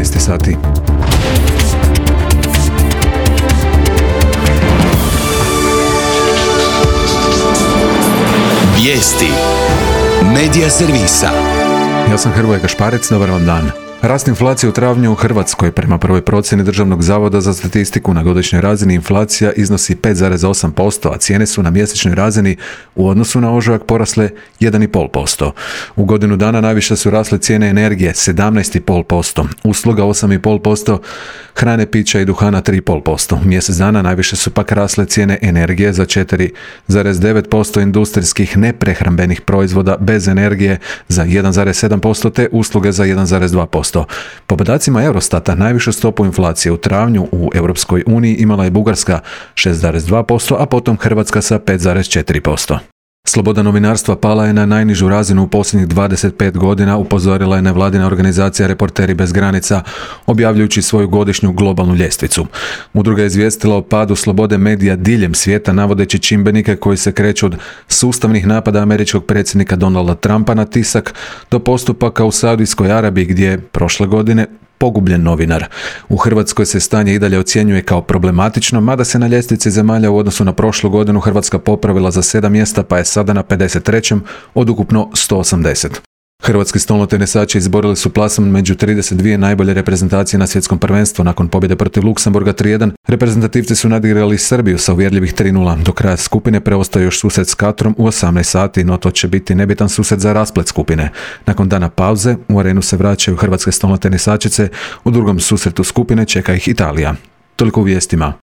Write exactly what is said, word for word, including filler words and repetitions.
jedanaest sati. Vijesti Medija servisa. Ja sam Hrvoje Gašparec, dobar vam dan. Rast inflacije u travnju u Hrvatskoj prema prvoj procjeni Državnog zavoda za statistiku na godišnjoj razini inflacija iznosi pet zarez osam posto, a cijene su na mjesečnoj razini u odnosu na ožujak porasle jedan zarez pet posto. U godinu dana najviše su rasle cijene energije sedamnaest zarez pet posto, usluga osam zarez pet posto, hrane, pića i duhana tri zarez pet posto. Mjesec dana najviše su pak rasle cijene energije za četiri zarez devet posto, industrijskih neprehrambenih proizvoda bez energije za jedan zarez sedam posto te usluge za jedan zarez dva posto. Po podacima Eurostata, najvišu stopu inflacije u travnju u Europskoj uniji imala je Bugarska šest zarez dva posto, a potom Hrvatska sa pet zarez četiri posto. Sloboda novinarstva pala je na najnižu razinu u posljednjih dvadeset pet godina, upozorila je nevladina organizacija Reporteri bez granica, objavljujući svoju godišnju globalnu ljestvicu. Udruga je izvijestila o padu slobode medija diljem svijeta, navodeći čimbenike koji se kreću od sustavnih napada američkog predsjednika Donalda Trumpa na tisak do postupaka u Saudijskoj Arabiji, gdje je prošle godine pogubljen novinar. U Hrvatskoj se stanje i dalje ocjenjuje kao problematično, mada se na ljestvici zemalja u odnosu na prošlu godinu Hrvatska popravila za sedam mjesta, pa je sada na pedeset trećem od ukupno sto osamdeset. Hrvatski stolnotenisači izborili su plasman među trideset dvije najbolje reprezentacije na svjetskom prvenstvu. Nakon pobjede protiv Luksemburga tri jedan, reprezentativci su nadigrali Srbiju sa uvjerljivih tri nula. Do kraja skupine preostaje još susret s Katrom u osamnaest sati, no to će biti nebitan susret za rasplet skupine. Nakon dana pauze u arenu se vraćaju hrvatske stolnotenisačice, u drugom susretu skupine čeka ih Italija. Toliko u vijestima.